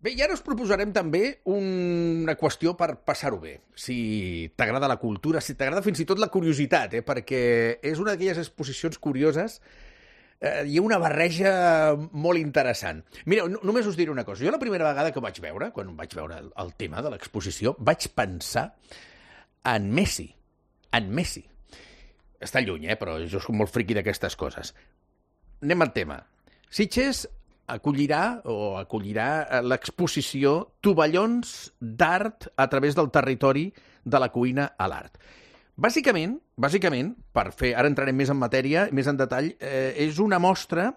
Bé, i ara us proposarem també una qüestió per passar-ho bé. Si t'agrada la cultura, si t'agrada fins i tot la curiositat, perquè és una d'aquelles exposicions curioses. Hi ha una barreja molt interessant. Mireu, només us diré una cosa. Jo la primera vegada que ho vaig veure, quan vaig veure el tema de l'exposició, vaig pensar en Messi. En Messi. Està lluny, però jo soc molt friqui d'aquestes coses. Anem al tema. Sitges acollirà l'exposició Tovallons d'art a través del territori de la cuina a l'art. Bàsicament, per fer, ara entrarem més en matèria, més en detall, és una mostra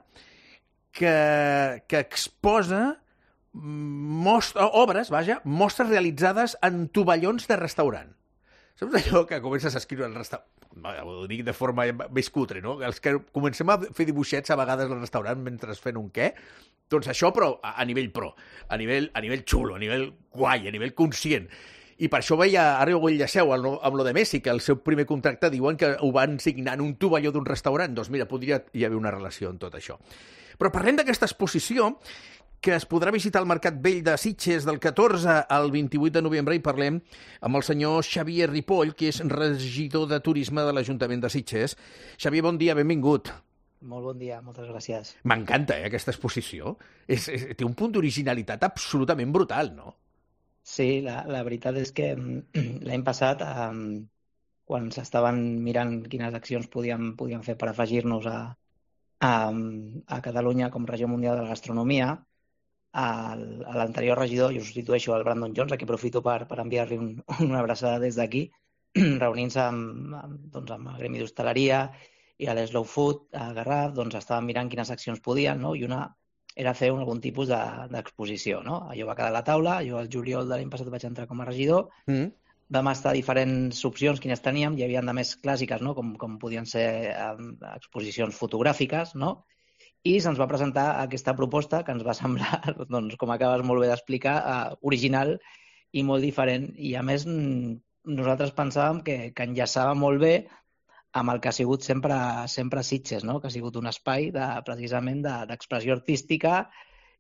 que exposa mostres realitzades en tovallons de restaurant. Saps allò que comences a escriure al restaurant? Ho dic de forma més cutre, no? Els que comencem a fer dibuixets a vegades al restaurant mentre fent un què, doncs això, però a nivell pro, a nivell xulo, a nivell guai, a nivell conscient. I per això veia, ara ho enllaceu amb lo de Messi, que el seu primer contracte diuen que ho van signar en un tovalló d'un restaurant. Doncs mira, podria hi haver una relació en tot això. Però parlem d'aquesta exposició que es podrà visitar al Mercat Vell de Sitges del 14 al 28 de novembre i parlem amb el senyor Xavier Ripoll, que és regidor de Turisme de l'Ajuntament de Sitges. Xavier, bon dia, benvingut. Molt bon dia, moltes gràcies. M'encanta, aquesta exposició. Té un punt d'originalitat absolutament brutal, no? Sí, la veritat és que l'any passat, quan s'estaven mirant quines accions podíem fer per afegir-nos a Catalunya com regió mundial de la gastronomia, a l'anterior regidor, jo substitueixo el Brandon Jones, a qui aprofito per enviar-li una abraçada des d'aquí, reunint-se amb el Gremi d'Hostaleria i a l'Slow Food a Garraf, doncs estàvem mirant quines accions podien, no? I una era fer algun tipus d'exposició, no? Allò va quedar a la taula, jo al juliol de l'any passat vaig entrar com a regidor, vam estar a diferents opcions, quines teníem, hi havia de més clàssiques, no? Com podien ser exposicions fotogràfiques, no? I se'ns va presentar aquesta proposta que ens va semblar, doncs, com acabes molt bé d'explicar, original i molt diferent. I a més, nosaltres pensàvem que enllaçava molt bé amb el que ha sigut sempre Sitges, no? Que ha sigut un espai precisament d'expressió artística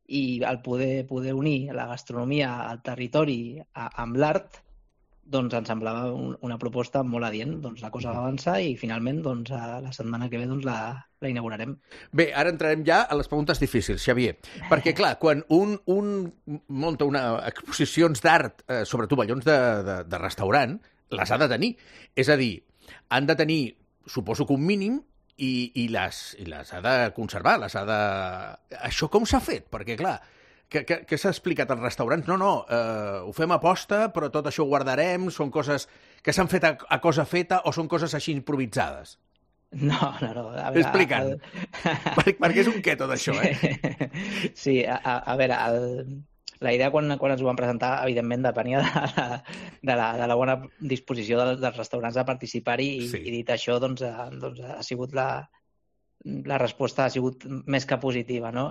i el poder unir la gastronomia al territori amb l'art, doncs ens semblava una proposta molt adient. Doncs la cosa va avançar i finalment la setmana que ve la inaugurarem. Bé, ara entrarem ja a les preguntes difícils, Xavier. Perquè, clar, quan un munta exposicions d'art sobre tovallons de restaurant, les ha de tenir. És a dir, han de tenir, suposo que un mínim, i les ha de conservar, Això com s'ha fet? Perquè, clar, què s'ha explicat als restaurants? No, ho fem a posta, però tot això ho guardarem, són coses que s'han fet a cosa feta o són coses així improvisades? No. Explica'm. Perquè és un què tot això, Sí, a veure, la idea quan ens ho van presentar, evidentment, depenia de la bona disposició dels restaurants a participar-hi i dit això, doncs ha sigut la resposta ha sigut més que positiva, no?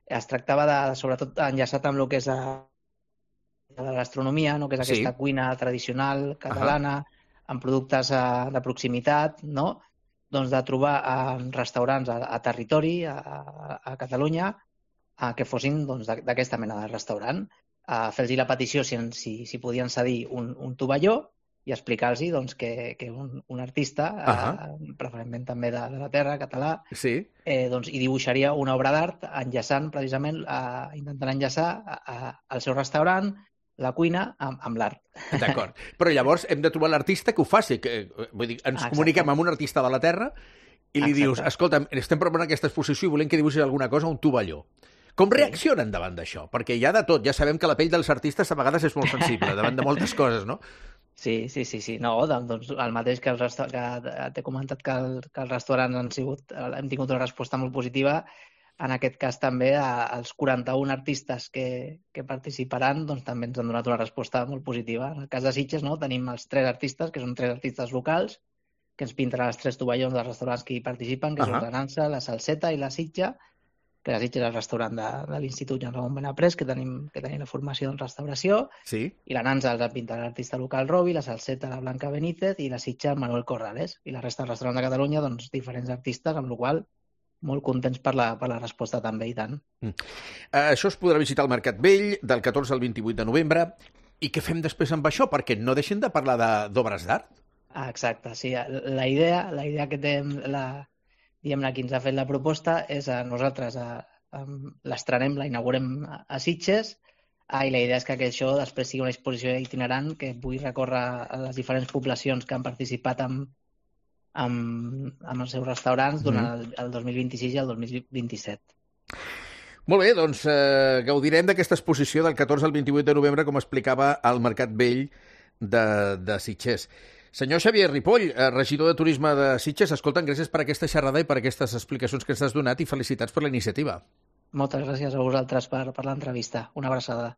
Es tractava sobretot, enllaçat amb el que és la gastronomia, no? Que és aquesta cuina tradicional catalana, amb productes de proximitat, no? Doncs de trobar restaurants a territori, a Catalunya, que fossin d'aquesta mena de restaurant, fer-los la petició si podien cedir un tovalló i explicar-los que un artista, preferentment també de la terra, català, hi dibuixaria una obra d'art enllaçant precisament, intentant enllaçar el seu restaurant, la cuina, amb l'art. D'acord. Però llavors hem de trobar l'artista que ho faci. Vull dir, ens comuniquem amb un artista de la terra i li dius, escolta'm, estem preparant aquesta exposició i volem que dibuixis alguna cosa a un tovalló. Com reaccionen davant d'això? Perquè hi ha de tot. Ja sabem que la pell dels artistes a vegades és molt sensible davant de moltes coses, no? Sí. No, doncs el mateix que t'he comentat que els restaurants hem tingut una resposta molt positiva. En aquest cas també els 41 artistes que participaran doncs també ens han donat una resposta molt positiva. En el cas de Sitges, no, tenim els 3 artistes, que són 3 artistes locals, que ens pintaran els 3 tovallons dels restaurants que hi participen, que són la Nansa, la Salseta i la Sitja, que la Sitja és el restaurant de l'Institut Joan Ramon Benaprés, que tenim la formació en restauració, i la Nansa els ha pintat l'artista local Robi, la Salseta la Blanca Benítez i la Sitja Manuel Corrales. I la resta dels restaurants de Catalunya, doncs, diferents artistes, amb la qual molt contents per la resposta també, i tant. Això es podrà visitar al Mercat Vell del 14 al 28 de novembre. I què fem després amb això? Perquè no deixen de parlar d'obres d'art. Exacte, sí. La idea que té diguem-ne, qui ens ha fet la proposta és nosaltres l'estrenem, la inaugurem a Sitges, i la idea és que això després sigui una exposició itinerant que pugui recórrer a les diferents poblacions que han participat amb els seus restaurants durant el 2026 i el 2027. Molt bé, doncs gaudirem d'aquesta exposició del 14 al 28 de novembre, com explicava al Mercat Vell de Sitges. Senyor Xavier Ripoll, regidor de Turisme de Sitges, escolta'm, gràcies per aquesta xerrada i per aquestes explicacions que ens has donat i felicitats per la iniciativa. Moltes gràcies a vosaltres per l'entrevista. Una abraçada.